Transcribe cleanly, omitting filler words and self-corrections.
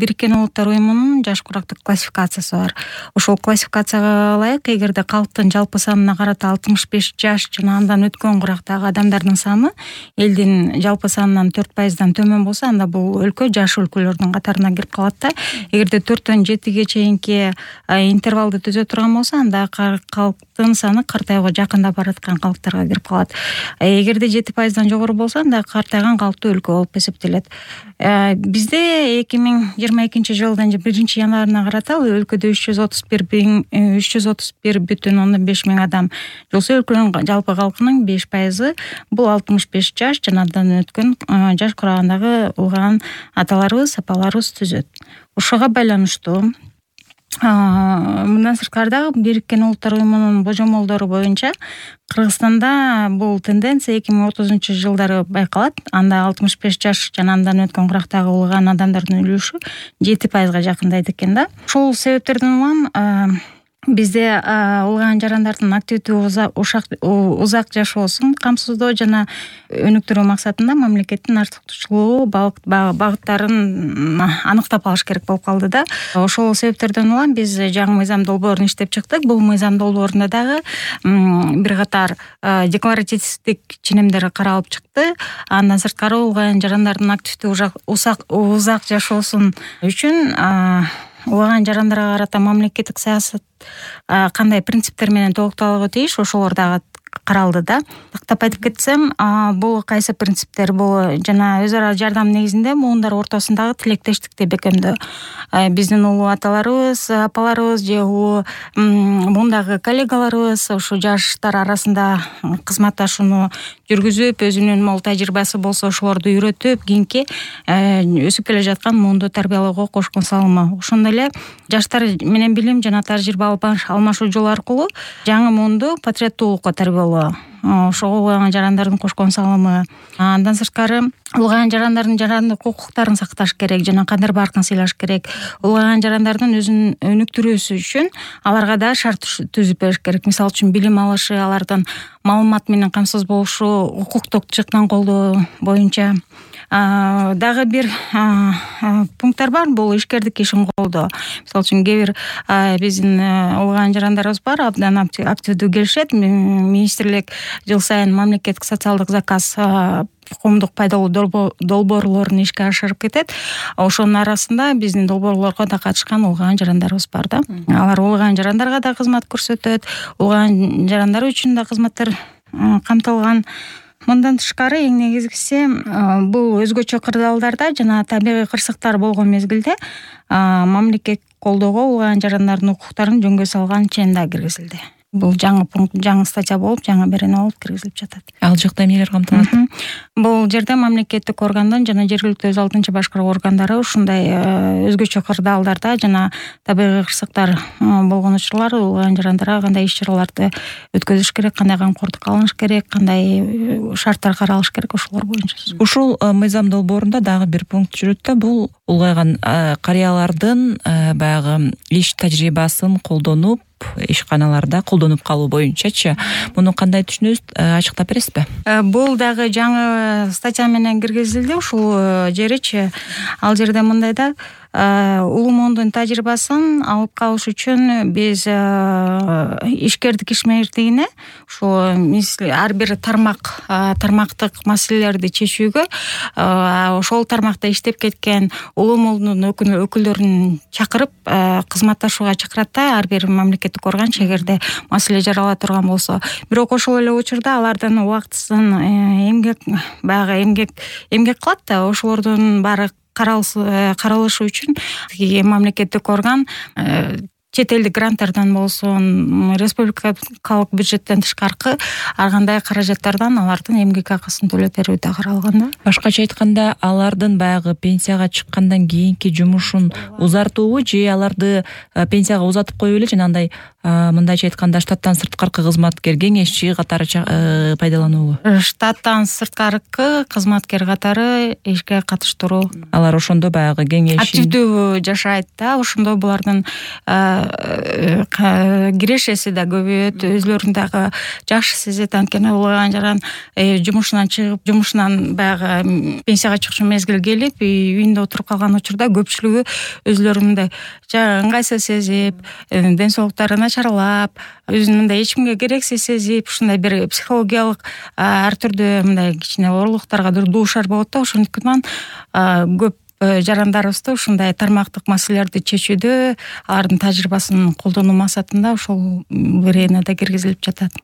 Бириккен Улуттар уюмунун жаш курактык классификациясы бар. Ошол классификацияга ылайык эгерде калктын жалпы санына карата 65 жаш жана андан өткөн курактагы адамдардын саны элдин жалпы санынан 4%дан төмөн болсо, анда бул өлкө жаш өлкөлөрдүн катарына кирип калат да. Эгерде 4-төн 7-ге чейинки интервалды түзө турган болсо, анда калктын саны картайууга жакындап бараткан калктарга кирип калат. Эгерде 7%дан жогору болсо, анда картайган калктуу өлкө болуп эсептелет. Бизде 2022-жылдын 1-январына карата өлкөдө 331,5 миң адам болсо, өлкөнүн жалпы калкынын 5% бул 65 жаш жана андан өткөн жаш курагындагы улган аталарыбыз, апаларыбыз түзөт. Ошого байланыштуу мындан сырткары дагы Бириккен Улуттар уюмунун божомолдору боюнча Кыргызстанда бул тенденция 2030-жылдары байкалат. Анда 65 жаш жана андан өткөн курактагы улган адамдардын үлүшү 7%га жакындайт экен да. Ошол себептерден улам бизде улган жарандардын активдүү узак жашоосун камсыздоо жана өнүктүрүү максатында мамлекеттин артыкчылыгуу багыттарын аныктап алыш керек болуп калды да. Ошол себептерден улам биз жаңы мыйзам долбоорун иштеп чыктык. Бул мыйзам долбоорунда дагы бир катар декларативдик ченемдер каралып чыкты. Андан сырткары улган жарандардын активдүү узак жашоосун үчүн улган жарандарга карата мамлекеттик саясат кандай принциптер менен толукталууга тийиш, ошолор дагы каралды да. Тактап айтып кетсем, бул кайсы принциптер? Бул жана өз ара жардам негизинде муундар ортосундагы тилектештикти бекемдөө. Биздин улуу аталарыбыз, апаларыбыз же мундагы коллегаларыбыз ушу жаштар арасында кызматташууну жүргүзүп, өзүнүн мол тажрыйбасы болсо ошолорду үйрөтүп, кийинки өсүп келе жаткан муунду тарбиялоого кошкон салымы. Ошондой эле жаштар менен билим жана тажрыйба алмашуу жолу аркылуу жаңы муунду патриоттуулукка тарбиялоо. Ошого улган жарандардын кошкон салымы. Андан сырткары улган жарандардын жарандык укуктарын сакташ керек жана кадыр баркын сыйлаш керек. Улган жарандардын өзүн өнүктүрүүсү үчүн аларга да шарт түзүп бериш керек. Мисалы үчүн билим алышы, алардын маалымат менен камсыз болушу, укуктук жактан колдоо боюнча дагы бир пункттар бар. Бул ишкердик ишин колдоо. Мисалы үчүн кээ бир биздин улган жарандарыбыз бар, абдан активдүү келишет. Министрлик жыл сайын мамлекеттик социалдык заказ коомдук пайдалуу долбоорлорун ишке ашырып кетет. Ошонун арасында биздин долбоорлорго да катышкан улган жарандарыбыз бар да. Алар улган жарандарга да кызмат көрсөтөт, улган жарандар үчүн да кызматтар камтылган. Мындан тышкары эң негизгиси бул өзгөчө кырдаалдарда жана табигый кырсыктар болгон мезгилде мамлекет колдоого улган жарандардын укуктарын жөнгө салган чен да киргизилди. Бул жаңы пункт, жаңы статья болуп, жаңы берене болуп киргизилип жатат. Ал жакта эмнелер камтылат? Бул жерде мамлекеттик органдын жана жергиликтүү өз алдынча башкаруу органдары ушундай өзгөчө кырдаалдарда жана табигый кырсыктар болгон учурлар улган жарандарга кандай иш-чараларды өткөзүш керек, кандай камкордук алыныш керек, кандай шарттар каралыш керек, ошолор боюнча. Ушул мыйзам долбоорунда дагы бир пункт жүрөт да, бул улгайган карыялардын баягы иш тажрыйбасын колдонуп ишканаларда колдонуп калуу боюнчачы. Муну кандай түшүнөбүз, ачыктап бересизби? Бул дагы жаңы статья менен киргизилди ушул жеричи. Ал жерде мындай да, улуу муундун тажрыйбасын алып калыш үчүн биз ишкердик ишмердигине ушул ар бир тармактык маселелерди чечүүгө ошол тармакта иштеп кеткен улуу муундун өкүлдөрүн чакырып кызматташууга чакырат да, ар бир мамлекеттик орган эгерде маселе жарала турган болсо. Бирок ошол эле учурда алардын убактысын эмгек кылат да, ошолордун баары каралышы үчүн мамлекеттик орган чет элдик гранттардан болсун, республикалык бюджеттен тышкаркы ар кандай каражаттардан алардын эмгек акысын төлөп берүү да каралган да. Башкача айтканда, алардын баягы пенсияга чыккандан кийинки жумушун узартуубу же аларды пенсияга узатып коюу эле жана андай мындайча айтканда штаттан сырткаркы кызматкер кеңешчи катары пайдалануубу? Штаттан сырткаркы кызматкер катары ишке катыштыруу. Алар ошондо баягы кеңеш активдүү жашайт да, ошондо булардын кирешеси да көбөйөт, өзүлөрүн дагы жакшы сезет. Анткени улгайган жаран жумушунан чыгып, жумушунан баягы пенсияга чыкчу мезгил келип, үйүндө отуруп калган учурда көпчүлүгү өзүлөрүн мындай ыңгайсыз сезип, ден соолуктары начарлап, өзүн мындай эч кимге керексиз сезип, ушундай бир психологиялык ар түрдүү мындай кичине оорулуктарга дуушар болот да. Ошондуктан көп жарандарыбызды ушундай тармактык маселелерди чечүүдө алардын тажрыйбасын колдонуу максатында ошол ирине да киргизилип жатат.